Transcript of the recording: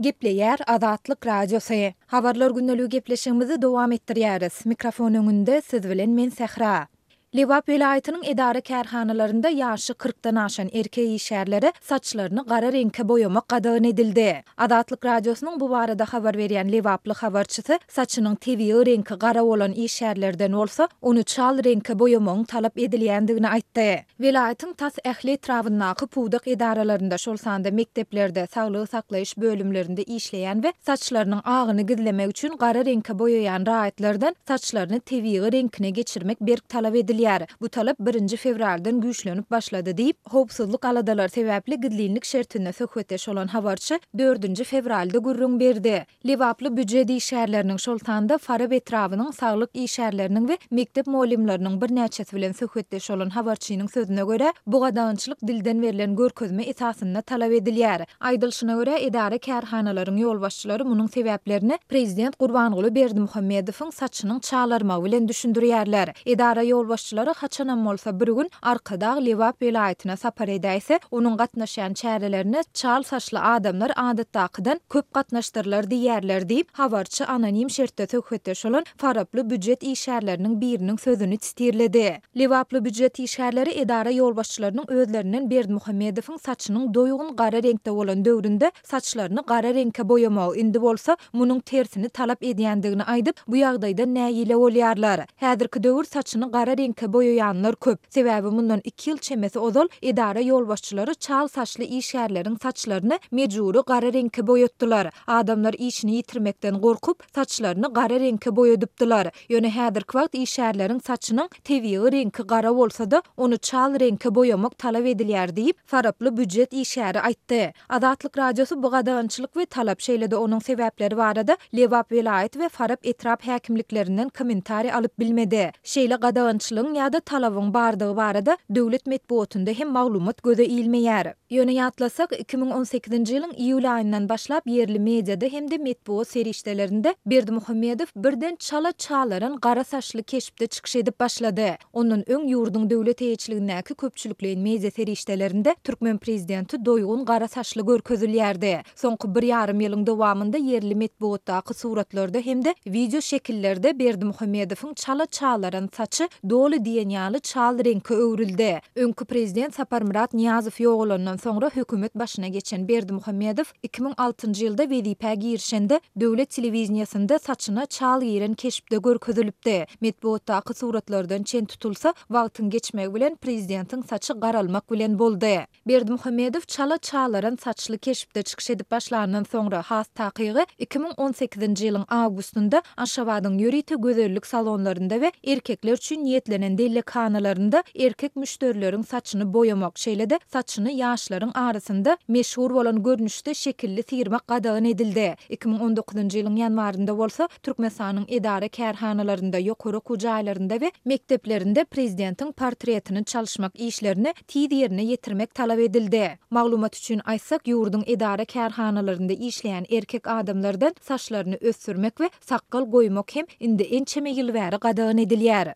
Gepleýär Azatlyk Radiosy. Habarlar gündeligi gepleşigimizi dowam etdirýäris. Mikrofon öňünde siz bilen men Sähra. Lebap welaýatynyň edara-kärhanalarynda ýaşy kyrkdan aşan erkek işgärlere saçlaryny gara reňke boýamak gadagan edildi. Azatlyk Radiosynyň bu barada habar berýän lebaply habarçysy saçynyň tebigy reňki gara bolan işgärlerden bolsa ony çal reňke boýamagyň talap edilýändigini aýtdy. Welaýatyň tas ähli etrabyndaky pudak edaralarynda, şol sanda mekdeplerde, saglygy saklaýyş bölümlerinde işleýän we saçlarynyň agyny gizlemek üçin gara reňke boýaýan raýatlardan saçlaryny tebigy reňkine geçirmek berk talap edilýär. Bu talap birinji fewraldan güýçlenip başlady diýip, howpsuzlyk aladalary sebäpli gizlinlik şertinde söhbetdeş bolan habarçy dördünji fewralda gürrüň berdi. Lebaply býujet işgärleriniň, şol sanda Farap etrabynyň saglyk işgärleriniň we mekdep mugallymlarynyň birnäçesi bilen söhbetdeş bolan habarçynyň sözüne görä, bu gadagançylyk dilden berlen görkezme esasynda talap edilýär. Aýdylyşyna görä, edara-kärhanalaryň ýolbaşçylary munuň sebäplerini prezident Gurbanguly Berdimuhamedowyň saçynyň çalarmagy bilen düşündirýärler. Edara ýolbaşçylary haçanam bolsa bir gün Arkadag Lebap welaýatyna sapar edäýse, onuň gatnaşýan çärelerine çal saçly adamlar adatdakydan köp gatnaşdyrlar diýýärler diýip, habarçy anonim şertde söhbetdeş bolan faraply býujet işgärleriniň biriniň sözüni sitirledi. Lebaply býujet işgärleri edara ýolbaşçylarynyň özlerinden Berdimuhamedowyň saçynyň doýgun gara reňkde bolan döwründe saçlaryny gara reňke boýamagy, indi bolsa munuň tersini talap edýändigini aýdyp, bu ýagdaýdan nägile bolýarlar. Häzirki döwür saçyny gara reňke boýaýanlar köp. Sebäbi mundan iki ýyl çemesi ozal edara ýolbaşçylary çal saçly işgärleriň saçlaryny mejbury gara reňke boýatdylar. Adamlar işini ýitirmekden gorkup, saçlaryny gara reňke boýadypdylar. Ýöne häzirki wagt işgärleriň saçynyň tebigy reňki gara bolsa-da, ony çal reňke boýamak talap edilýär diýip, faraply býujet işgäri aýtdy. Azatlyk Radiosy bu gadagançylyk we talap, şeýle-de onuň sebäpleri barada Lebap welaýat we Farap etrap häkimliklerinden kommentariý alyp bilmedi. Şeýle gadagançylygyň ýa-da talabyň bardygy barada döwlet metbugatynda hem maglumat göze ilmeýär. Ýöne ýatlasak, 2018-nji ýylyň iýul aýyndan başlap ýerli mediada hem-de metbugat serişdelerinde Berdimuhamedow birden çala çalaran gara saçly keşpde çykyş edip başlady. Ondan öň ýurduň döwlet eýeçiligindäki köpçülikleýin media serişdelerinde türkmen prezidenti doýgun gara saçly görkezilýärdi. Soňky bir ýarym ýylyň dowamynda ýerli metbugatdaky suratlarda hem-de wideo şekillerde Berdimuhamedowyň çala çalaran saçy doly diýen ýaly çal reňke öwrüldi. Öňki prezident Saparmyrat Nyýazow ýogalandan soňra hökümet başyna geçen Berdimuhamedow 2006-njy ýylda wezipä girişende döwlet telewideniýesinde saçyna çal giren keşpde görkezilipdi. Metbugatdaky suratlardan çen tutulsa, wagtyň geçmegi bilen prezidentiň saçy garalmak bilen boldy. Berdimuhamedow çala çalaran saçly keşpde çykyş edip başlandan soňra, has takygy, 2018-nji ýylyň awgustynda Aşgabadyň ýörite gözellik salonlarynda we erkekler üçin niýetlenen dellekhanalarynda erkek müşderileriň saçyny boýamak, şeýle-de saçyny ýaşlaryň arasynda meşhur bolan görnüşde şekilli syrmak gadagan edildi. 2019-njy ýylyň ýanwarynda bolsa Türkmenistanyň edara-kärhanalarynda, ýokary okuw jaýlarynda we mekdeplerinde prezidentiň portretini çalyşmak işlerini tiz ýerine ýetirmek talap edildi. Maglumat üçin aýtsak, ýurduň edara-kärhanalarynda işleýän erkek adamlardan saçlaryny ösdürmek we sakgal goýmak hem indi ençeme ýyl bäri gadagan edilýär.